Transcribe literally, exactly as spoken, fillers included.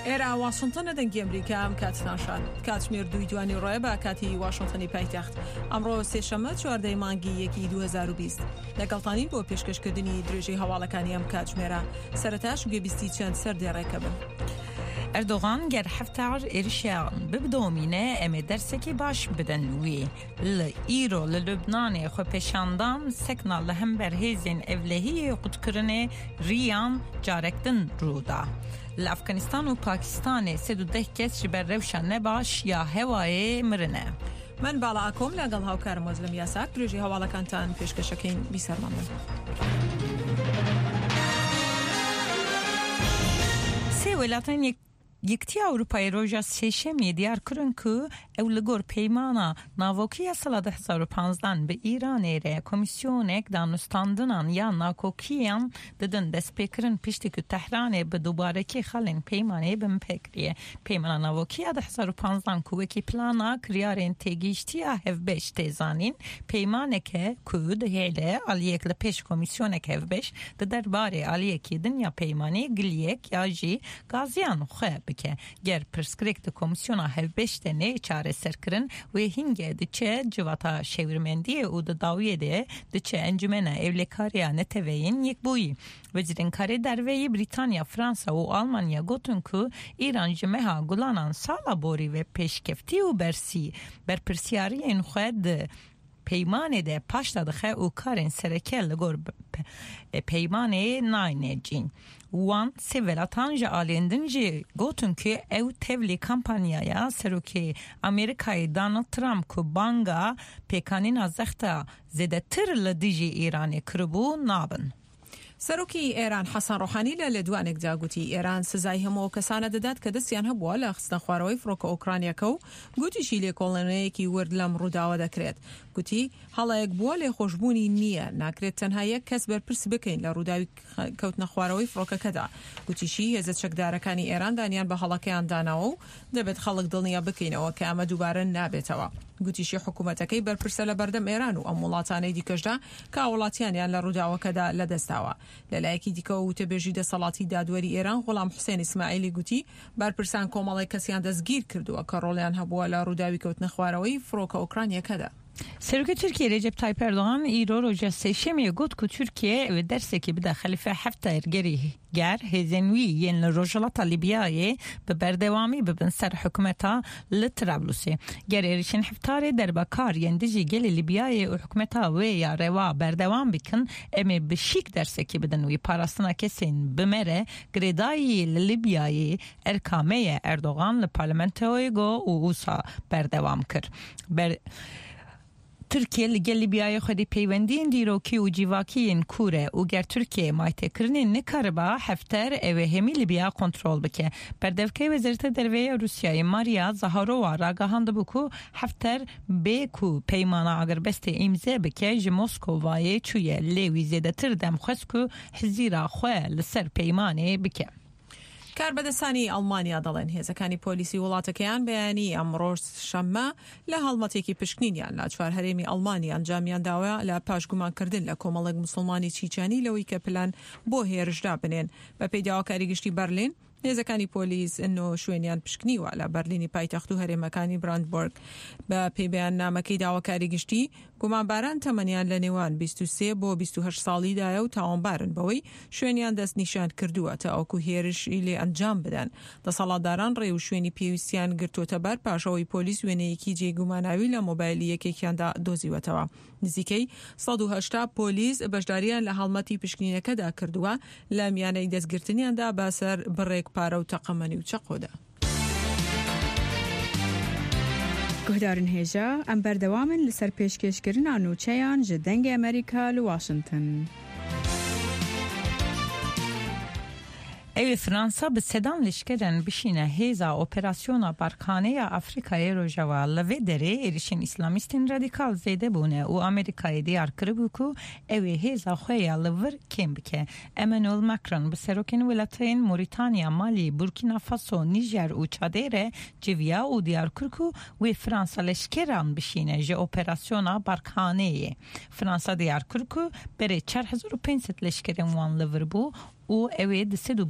ئێرە واشنتنە، دەنگی ئەمریکا. ئەم کاتتان شاد. کاتژمێر دووی دوانی ڕۆیە بە کاتی واشنتنی پایتەخت. ئەمڕۆ سێشەممە چواردەی مانگی یەکی دوو هەزار و بیست لەگەڵتانین بۆ پێشکەشکردنی درێژەی هەواڵەکانی ئەم کاتژمێرە. سەرەتاش گوێبیستی چەند سەردێڕێکە بن. ئەردۆغان گەر حەفتار êrişan bidomîne em ê dersekê baş bidin wî. Li îro li Lubnanê xwepêşandan sekna li hember hêzên ewlehiyê qutkirinê riyan carek din rû da. Li Efganistan û Pakistanê sed û deh kes ji ber rewşa nebaş ya hewayê mirine. من باڵا ئاکۆم لەگەڵ هاوکارم وەزلم یاساک درێژی هەواڵەکانتان پێشکەشەکەین. بیسەرمان بن. سێ welatên Yekitiya Ewropayê roja sêşemiyê diyar kirin ku ew li gor peymana navokî ya sala du hezar û panzdan bi Îranê re komîsyonek danûstandinan ya nakokiyan didin destpêkirin piştî ku Tehranê bi dubarekî xalên peymanê binpê kiriye. Peymana navokî ya du hezar û panzdan ku wekî plana kiryarên têgihîştiya hevbeş tê zanîn, peymaneke ku dihêle aliyek li pêş komîsyonek hevbeş di derbarê aliyekî din ya peymanê giliyek ya jî gaziyan xwe bike. Ger pirsgirêk di komîsyona hevbeş de neyê çareserkirin wê hingê diçe civata şêwirmendiyê û di dawiyê de diçe encumena ewlekariya neteweyên yekbûyî. Wezîrên Karê Derveyî Brîtanya, Fransa û Almanya gotin ku Îran ji meha gulanan sala borî ve pêşkeftî û bersî berpirsiyariyên xwe di peymanê de paşda dixe û karên sereke li gor peymanê nayne cîn. Wan sê welatan ji aliyên din jî gotin ku ew tevlî kampanyaya Serokê Amerîkayê Donald Trump ku banga pêkanîna zexta zêdetir li dijî Îranê kiribû nabin. سەرۆکی ئێران حەسەن ڕۆحانی لە لێدوانێکدا گوتی ئێران سزای هەموو ئەو کەسانە دەدات کە دەستیان هەبووە لە خستنە خوارەوەی فڕۆکە ئۆکرانیەکە و گوتیشی لێکۆڵێنەیەکی ورد لەم ڕووداوە دەکرێت. گوتی هەڵەیەک بووە لێخۆشببوونی نییە، ناکرێت تەنها یەک کەس بەرپرس بکەین لە ڕووداوی کەوتنە خوارەوەی فڕۆکەکەدا. گوتیشی هێزە چەکدارەکانی ئێران دانیان بە هەڵەکەیان داناوە و دەبێت خەڵک دڵنیا بکەینەوە کە ئەمە دووبارە نابێتەوە. گوتیشی حکوومەتەکەی بەرپرسە لە بەردەم ئێران و ئەم وڵاتانەی دیکەشدا کە وڵاتیانیان لە ڕووداوەکەدا لەدەستداوە. لەلایەکی دیکەوە وتەبێژی دەسەڵاتی دادوەری ئێران غوڵام حوسێن ئیسماعیلی گوتی بەرپرسان کۆمەڵێک کەسیان دەستگیر کردووە کە ڕۆڵیان هەبووە لە ڕووداوی کەوتنە خوارەوەی فڕۆکە ئۆکرانیەکەدا. Serokê Tirkiye Recep Tayyip Erdoğan îro roja sêşemiyê got ku Tirkiye ew ê dersekê bide Xelîfe Hefter gerî ger hêzên wî yên li Rojhilata Lîbyayê bi berdewamî bibin ser hikûmeta li Trablusê. Ger êrişên Heftarê derbakar yên dijî gelê Lîbyayê û hikûmeta wê ya rewa berdewam bikin, em ê bi şîk dersekê bidin wî. Parastina kesên bi me re girêdayî li Lîbyayê erka me ye Erdoğan li parlamentoyê got û wisa berdewam kir. Ber Tirkiye li gel Lîbyayê xwedî peywendiyên dîrokî û cîvakiyên kûr e û ger Tirkiye maytêkirinê nikariba Hefter ew ê hemî Lîbya kontrol bike. Berdevkê Wezareta Derve ya Rûsyayê Maria Zaharova ragihandibû ku Hefter bê ku peymana agirbestê îmze bike ji Moskovayê çûye lê wî zêdetir dem xwest ku hizîra xwe li ser peymanê bike. کاربەدەستانی ئەڵمانیا دەڵێن هێزەکانی پۆلیسی وڵاتەکەیان بەیانی ئەمڕۆ شەممە لە هەڵمەتێکی پشکنینیان لە چوار هەرێمی ئەڵمانیا ئەنجامیان داوە لە پاشگومانکردن لە کۆمەڵێک مسلمانی چیچانی لەوەی کە پلان بۆ هێرشدا بنێن. بە پێی داواکاری گشتی بەرلین هێزەکانی پۆلیس نۆ شوێنیان پشکنیوە لە بەرلینی پایتەخت و هەرێمەکانی براندبۆرگ. بە پێی بەیاننامەکەی داواکاری گشتی گومانباران تەمەنیان لە نێوان بیست و سێ بۆ بیست و هەشت ساڵیدایە و تاوانبارن بەوەی شوێنیان دەستنیشان کردووە تا ئەوکو هێرشی لێ ئەنجام بدەن. دەسەڵاتداران ڕێ و شوێنی پێویستیان گرتووەتە بەر پاشەوەی پۆلیس وێنەیەکی جێگوماناوی لە مۆبایلی یەکێکیاندا دۆزیوەتەوە. نزیکەی سەد و هەشتا پۆلیس بەشداریان لە هەڵمەتی پشکنینەکەدا کردووە لە میانەی دەستگرتنیاندا بەسەر بڕێک پارە و تەقەمەنی و چەقۆدا. گوهدارن هێژا ئەم بەردەوامن لەسەر پێشکێشکردنا نوچەیان ji دەنگê Amerîka li Washington. Ew ê Fransa bi sedan leşkeran bişîne hêza operasyona Barkaneya Afrikayê Rojava. Li vê derê êrişên Îslamîstên radîkal zêde bûne û Amerîkayê diyar kiribû ku ew ê hêza xwe ya li vir kêm bike. Emmanuel Macron bi serokên welatên Moritanya, Malî, Burkina Faso, Nijer û Çadê re civiya û diyar kir ku wê Fransa leşkeran bişîne ji operasyona Barkaneyê. Fransa diyar kir ku berê çar hezar û pênc sed leşkerên wan li vir bû û ew ê di sed û